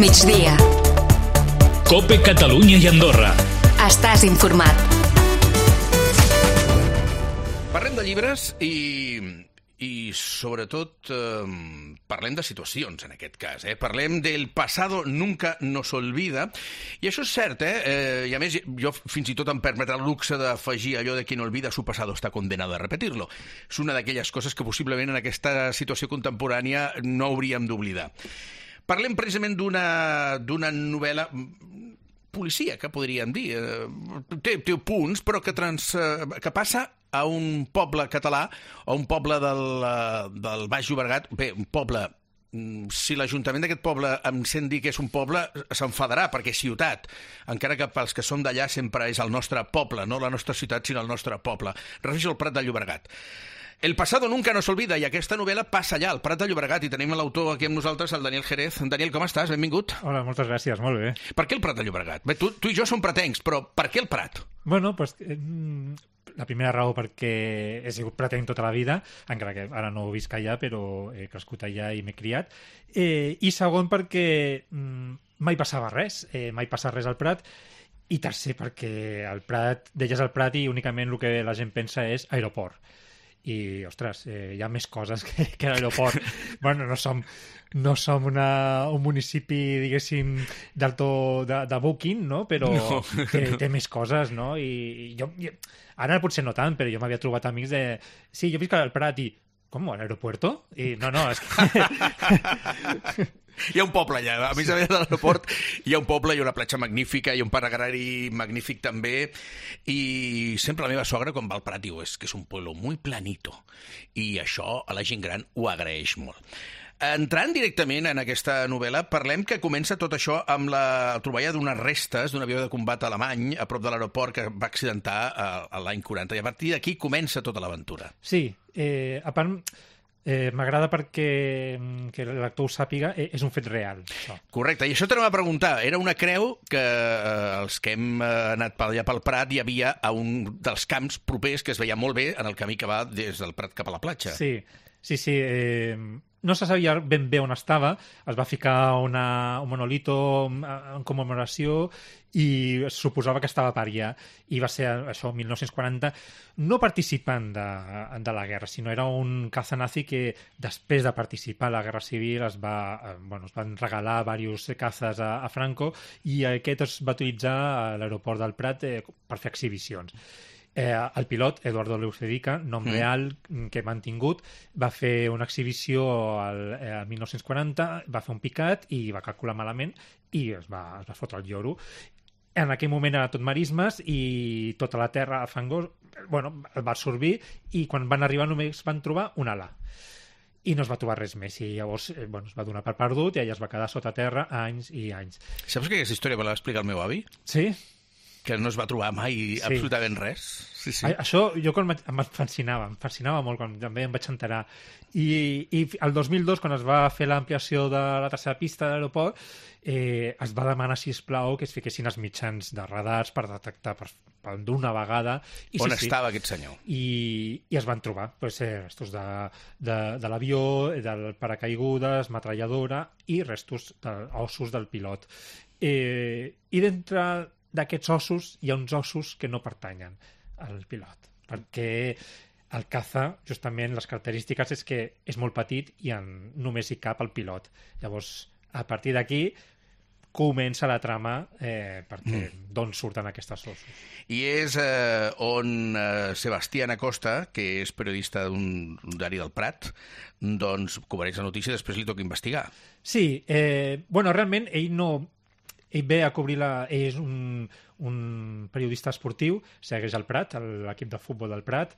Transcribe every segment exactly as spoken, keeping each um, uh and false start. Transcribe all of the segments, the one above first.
migdia. COPE Catalunya i Andorra. Estàs informat. Parlem de llibres i... i sobretot eh, parlem de situacions en aquest cas, eh? Parlem del pasado nunca nos olvida, i això és cert, eh? eh i a més jo fins i tot em permetrà el luxe d'afegir allò de qui no olvida su pasado está condenado a repetirlo. És una d'aquelles coses que possiblement en aquesta situació contemporània no hauríem d'oblidar. Parlem precisament d'una d'una novel·la policia, que podríem dir. Té, té punts, però que, trans, que passa a un poble català, a un poble del, del Baix Llobregat. Bé, un poble, si l'Ajuntament d'aquest poble em sent dir que és un poble, s'enfadarà, perquè és ciutat, encara que pels que som d'allà sempre és el nostre poble, no la nostra ciutat, sinó el nostre poble. Refereixo al Prat de Llobregat. El pasado nunca nos olvida, i aquesta novel·la passa allà, al Prat de Llobregat, i tenim l'autor aquí amb nosaltres, el Daniel Jerez. Daniel, com estàs? Benvingut. Hola, moltes gràcies, molt bé. Per què el Prat de Llobregat? Bé, tu, tu i jo som pratencs, però per què el Prat? Bueno, pues, eh, la primera raó perquè he sigut pratenc tota la vida, encara que ara no visc allà, però he crescut allà i m'he criat. Eh, I segon perquè mm, mai passava res, eh, mai passa res al Prat. I tercer perquè al Prat, deies al Prat i únicament el que la gent pensa és aeroport. I, ostres, eh, hi ha més coses que, que l'aeroport. Bueno, no som, no som una, un municipi, diguéssim, d'alto de, de booking, no? Però no. Té, té més coses, no? I, i jo, i, ara potser no tant, però jo m'havia trobat amics de... Sí, jo visc al Prat i... Com, a l'aeropuerto? I no, no, és que... Hi ha un poble allà, a més a més de l'aeroport hi ha un poble, hi ha una platja magnífica, hi ha un parc agrari magnífic també, i sempre la meva sogra quan va al Prat diu és que és un pueblo muy planito, i això a la gent gran ho agraeix molt. Entrant directament en aquesta novel·la, parlem que comença tot això amb la troballa d'unes restes d'un avió de combat alemany a prop de l'aeroport que va accidentar l'any quaranta, i a partir d'aquí comença tota l'aventura. Sí, eh, a part... Eh, m'agrada perquè que l'actor ho sàpiga, eh, és un fet real. Això. Correcte, i això t'anava a preguntar. Era una creu que eh, els que hem eh, anat per allà pel Prat hi havia a un dels camps propers que es veia molt bé en el camí que va des del Prat cap a la platja. Sí, sí, sí. Eh, no se sabia ben bé on estava. Es va ficar una, un monolito en commemoració i es suposava que estava per allà. I va ser això, mil nou-cents quaranta, no participant de, de la guerra, sinó era un caza nazi que després de participar a la Guerra Civil es, va, bueno, es van regalar diversos cazas a, a Franco, i aquest es va utilitzar a l'aeroport del Prat eh, per fer exhibicions. Eh, el pilot, Eduardo Leucedica, nom mm. real que hem mantingut, va fer una exhibició al eh, mil nou-cents quaranta, va fer un picat i va calcular malament i es va, es va fotre el lloro. En aquell moment era tot marismes i tota la terra fangós, bueno, el va absorbir, i quan van arribar només van trobar un ala. I no es va trobar res més, i llavors eh, bueno, es va donar per perdut i ella es va quedar sota terra anys i anys. Saps que aquesta història me la va explicar el meu avi? Sí? Que no es va trobar mai sí. absolutament res. Sí, sí. A, això jo quan em fascinava, em fascinava molt quan també em vaig enterar. I, i el dos mil dos, quan es va fer l'ampliació de la tercera pista de l'aeroport, eh, es va demanar, sisplau, que es fiquessin els mitjans de radars per detectar per, per d'una vegada. I, On sí, estava sí, aquest senyor? I, i es van trobar pues, eh, restos de, de, de l'avió, del paracaigudes, metralladora i restos d'ossos del pilot. Eh, I d'entre d'aquests ossos hi ha uns ossos que no pertanyen al pilot, perquè el caza, justament, les característiques és que és molt petit i en, només hi cap el pilot. Llavors, a partir d'aquí comença la trama eh, perquè mm. d'on surten aquests ossos. I és eh, on eh, Sebastián Acosta, que és periodista d'un diari del Prat, doncs cobreix la notícia i després li toca investigar. Sí, eh, bueno, realment ell no... Ell ve a cobrir la... Ell és un, un periodista esportiu, segueix el Prat, l'equip de futbol del Prat,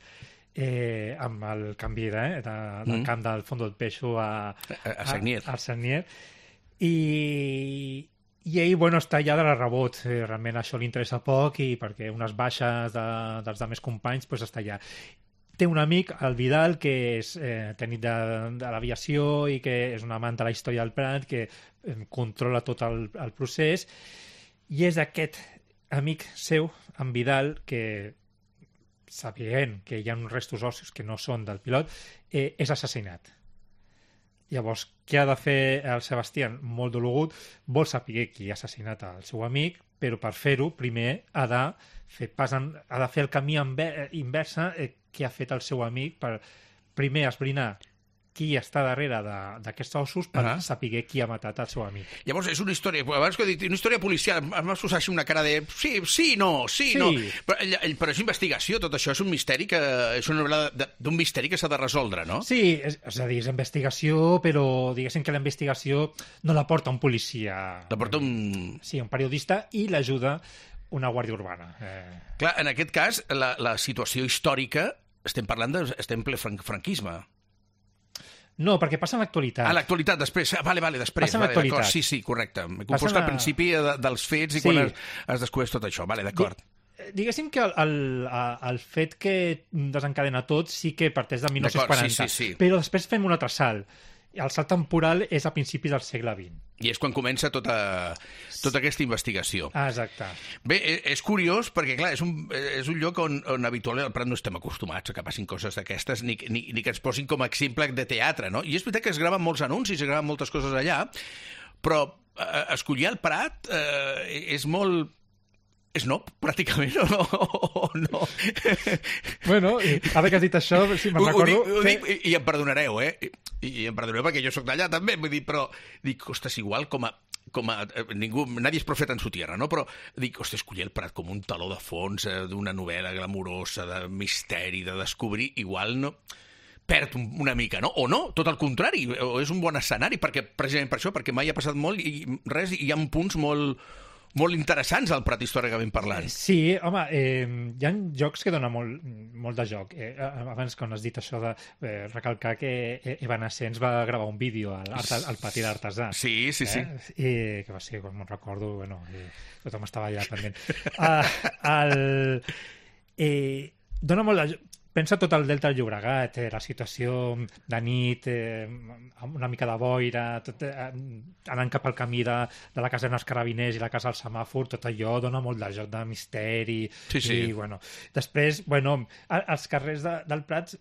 eh, amb el canvi de, eh, de, del mm. camp del Fondo del Peixo a, a, a Sagnier. A, a Sagnier. I, i ell, bueno, està allà de la rebot. Eh, realment això li interessa poc i perquè unes baixes de, dels altres companys pues, està allà. Té un amic, el Vidal, que és eh, tècnic de, de l'aviació i que és un amant de la història del Prat, que eh, controla tot el, el procés, i és aquest amic seu, en Vidal, que, sabent que hi ha uns restos ossos que no són del pilot, eh, és assassinat. Llavors, què ha de fer el Sebastián? Molt dologut, vol saber qui ha assassinat el seu amic, però per fer-ho, primer ha de fer, pas en, ha de fer el camí inversa eh, que ha fet el seu amic per primer esbrinar qui està darrere d'aquests ossos per uh -huh. saber qui ha matat el seu amic. Llavors, és una història, abans que he dit, una història policial, em va posar així una cara de sí, sí, no, sí, sí. no. Però, però és investigació, tot això és un misteri que és una novel·la d'un misteri que s'ha de resoldre, no? Sí, és, és a dir, és investigació, però diguéssim que la investigació no la porta un policia. La porta un... Sí, un periodista i l'ajuda una guàrdia urbana. Eh... Clar, en aquest cas, la, la situació històrica, estem parlant de... estem ple fran franquisme. No, perquè passa en l'actualitat. Ah, l'actualitat, després. Ah, vale, vale, després. Passa en vale, l'actualitat. Sí, sí, correcte. M'he confós que al principi de, dels fets i sí. quan es, es descobreix tot això. Vale, d'acord. Diguéssim que el, el, el fet que desencadena tot sí que parteix de mil nou-cents quaranta, sí, sí, sí. però després fem un altre salt. El salt temporal és a principis del segle vint. I és quan comença tota, tota aquesta investigació. Ah, exacte. Bé, és curiós perquè, clar, és un, és un lloc on, on habitualment al Prat no estem acostumats a que passin coses d'aquestes ni, ni, ni que ens posin com a exemple de teatre, no? I és veritat que es graven molts anuncis, es graven moltes coses allà, però eh, escollir el Prat eh, és molt... És no, pràcticament, o no? O no? Bueno, ara que has dit això, sí, me'n recordo... Ho dic, ho que... dic, i, i em perdonareu, eh? I, i em perdonareu perquè jo sóc d'allà també, vull dir, però dic, ostres, igual com a... com a ningú, nadie és profeta en su tierra, no? Però dic, ostres, escollir el Prat com un taló de fons eh, d'una novel·la glamurosa, de misteri, de descobrir, igual no... perd una mica, no? O no, tot el contrari, o és un bon escenari, perquè precisament per això, perquè mai ha passat molt i res, i hi ha punts molt... molt interessants al Prat històricament parlant. Sí, home, eh, hi ha jocs que donen molt, molt de joc. Eh, abans, quan has dit això de eh, recalcar que Evanescents va gravar un vídeo al, al pati d'Artesà. Sí, sí, sí. Eh? I, que va ser, com me'n recordo, bueno, eh, tothom estava allà pendent. Uh, el, eh, dona molt de joc. Pensa tot el Delta del Llobregat, eh, la situació de nit, eh, una mica de boira, tot, eh, anant cap al camí de, de la casa dels carabiners i la casa del semàfor, tot allò dona molt de joc de misteri. Sí, sí. I, bueno, després, bueno, els carrers de, del Prat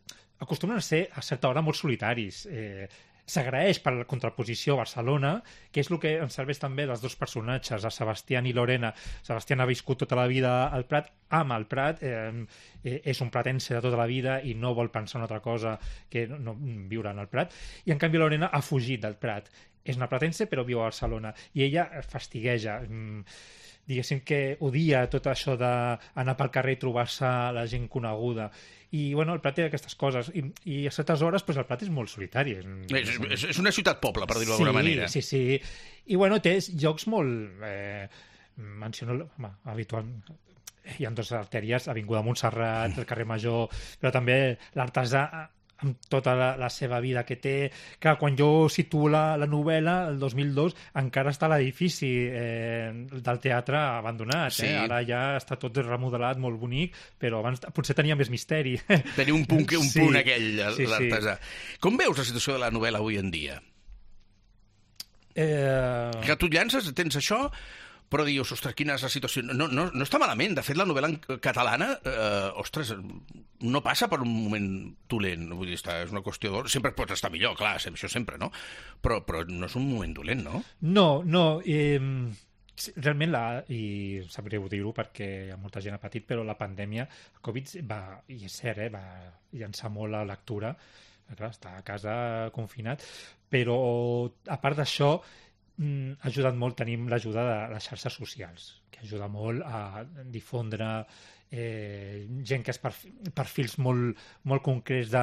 acostumen a ser a certa hora molt solitaris. Eh, S'agraeix per la contraposició a Barcelona, que és el que ens serveix també dels dos personatges, a Sebastián i Lorena. Sebastián ha viscut tota la vida al Prat, ama el Prat, eh, és un pratense de tota la vida i no vol pensar en una altra cosa que no, no viure en el Prat. I en canvi Lorena ha fugit del Prat. És una pratense però viu a Barcelona. I ella fastigueja, diguéssim que odia tot això d'anar pel carrer i trobar-se la gent coneguda. I, bueno, el Prat té aquestes coses. I, i a certes hores, pues, el Prat és molt solitari. És, és, és una ciutat-poble, per dir-ho d'alguna sí, manera. Sí, sí, sí. I, bueno, té jocs molt... Eh, menciono... Home, habitual... Hi ha dues artèries, Avinguda Montserrat, el carrer Major, però també l'Artesà, amb tota la, la seva vida que té. Clar, quan jo situo la, la novel·la, el dos mil dos, encara està l'edifici eh, del teatre abandonat. Sí. Eh? Ara ja està tot remodelat, molt bonic, però abans potser tenia més misteri. Tenia un punt, un sí. punt aquell, sí, l'Artesà. Sí. Com veus la situació de la novel·la avui en dia? Eh... Que tu llances, tens això... però dius, ostres, quina és la situació? No, no, no està malament. De fet, la novel·la catalana, eh, ostres, no passa per un moment dolent. Vull dir, està, és una qüestió d'or. Sempre pot estar millor, clar, això sempre, no? Però, però no és un moment dolent, no? No, no. Eh, realment, la, i sap greu dir-ho perquè molta gent ha patit, però la pandèmia, el Covid, va, i és cert, eh, va llançar molt la lectura. Clar, està a casa confinat. Però, a part d'això, ha ajudat molt, tenim l'ajuda de les xarxes socials, que ajuda molt a difondre eh, gent que és per, perfils molt, molt concrets de,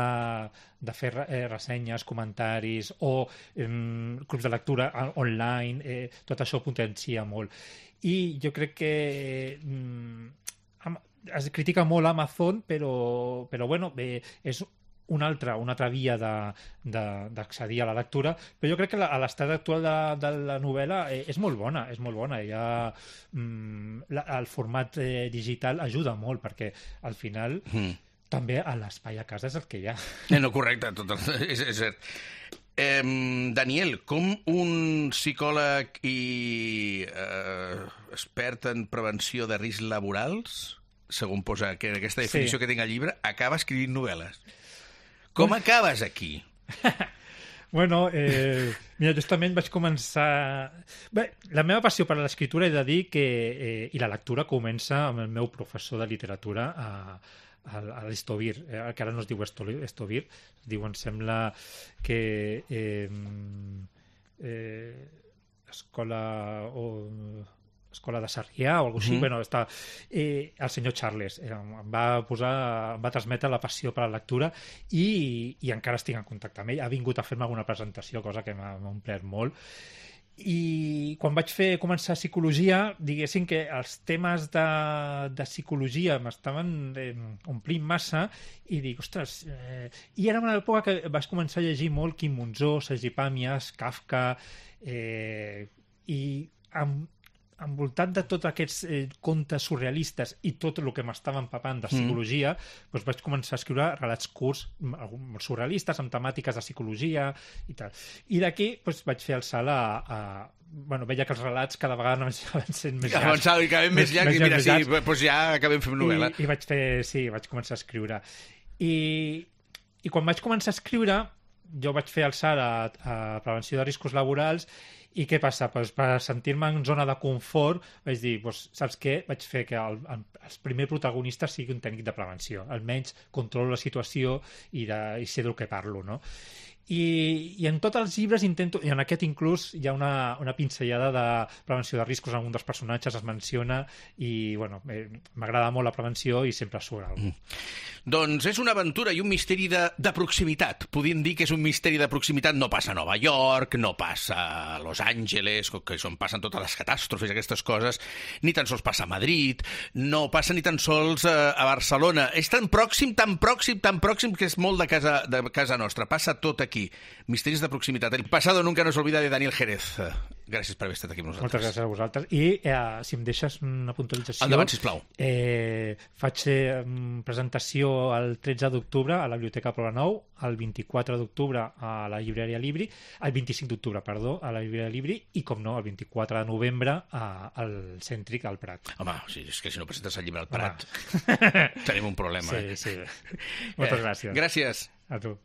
de fer eh, ressenyes, comentaris o eh, clubs de lectura online, eh, tot això potencia molt. I jo crec que eh, es critica molt Amazon, però, però bueno, eh, és una altra, una altra via d'accedir a la lectura, però jo crec que la, a l'estat actual de, de la novel·la eh, és molt bona, és molt bona. Ja, mm, la, el format eh, digital ajuda molt, perquè al final mm. també a l'espai a casa és el que hi ha. Eh, no, correcte, tot, és, és cert. Eh, Daniel, com un psicòleg i eh, expert en prevenció de riscs laborals, segons posa que aquesta definició sí. que tinc al llibre, acaba escrivint novel·les? Com acabes aquí? Bueno, eh, mira, justament vaig començar... Bé, la meva passió per a l'escriptura he de dir que... Eh, i la lectura comença amb el meu professor de literatura a, a, a l'Estovir, eh, que ara no es diu Estovir, es diu, em sembla que... Eh, eh, escola... O, escola de Sarrià o alguna cosa així, mm. bueno, està, eh, el senyor Charles eh, em va posar, em va transmetre la passió per la lectura i, i encara estic en contacte amb ell, ha vingut a fer-me alguna presentació, cosa que m'ha omplert molt, i quan vaig fer començar psicologia, diguéssim que els temes de, de psicologia m'estaven eh, omplint massa i dic, ostres, eh... i era una època que vaig començar a llegir molt Quim Monzó, Sergi Pàmies, Kafka, eh... i amb envoltat de tots aquests eh, contes surrealistes i tot el que m'estava empapant de psicologia, mm. doncs vaig començar a escriure relats curts, molt surrealistes, amb temàtiques de psicologia i tal. I d'aquí doncs, vaig fer el salt a, a... Bueno, veia que els relats cada vegada anaven sent més llargs. Avançava i acabem més llargs i mira, sí, doncs ja acabem fent novel·la. I, i vaig fer, sí, vaig començar a escriure. I, i quan vaig començar a escriure, jo vaig fer el salt a, a prevenció de riscos laborals. I què passa? Pues per sentir-me en zona de confort vaig dir, pues, saps què? Vaig fer que el, el, el primer protagonista sigui un tècnic de prevenció. Almenys controlo la situació i, de, i sé del que parlo, no? I, i en tots els llibres intento, i en aquest inclús hi ha una, una pinzellada de prevenció de riscos, en un dels personatges es menciona i bueno, m'agrada molt la prevenció i sempre surt alguna cosa. Mm. Doncs és una aventura i un misteri de, de proximitat. Podríem dir que és un misteri de proximitat. No passa a Nova York, no passa a Los Angeles, que és on passen totes les catàstrofes, aquestes coses, ni tan sols passa a Madrid, no passa ni tan sols a, a Barcelona. És tan pròxim, tan pròxim, tan pròxim que és molt de casa, de casa nostra. Passa tot aquí. Misteris de proximitat. El pasado nunca nos olvida de Daniel Jerez. Gràcies per haver estat aquí amb nosaltres. Moltes gràcies a vosaltres. I eh, si em deixes una puntualització... Endavant, sisplau. Eh, faig eh, presentació el tretze d'octubre a la Biblioteca Pobla Nou, el vint-i-quatre d'octubre a la Llibreria Libri, el vint-i-cinc d'octubre, perdó, a la Llibreria Libri i, com no, el vint-i-quatre de novembre a, al Cèntric, al Prat. Home, sí, és que si no presentes el llibre al Prat tenim un problema. Sí, sí. Moltes eh, gràcies. Gràcies. A tu.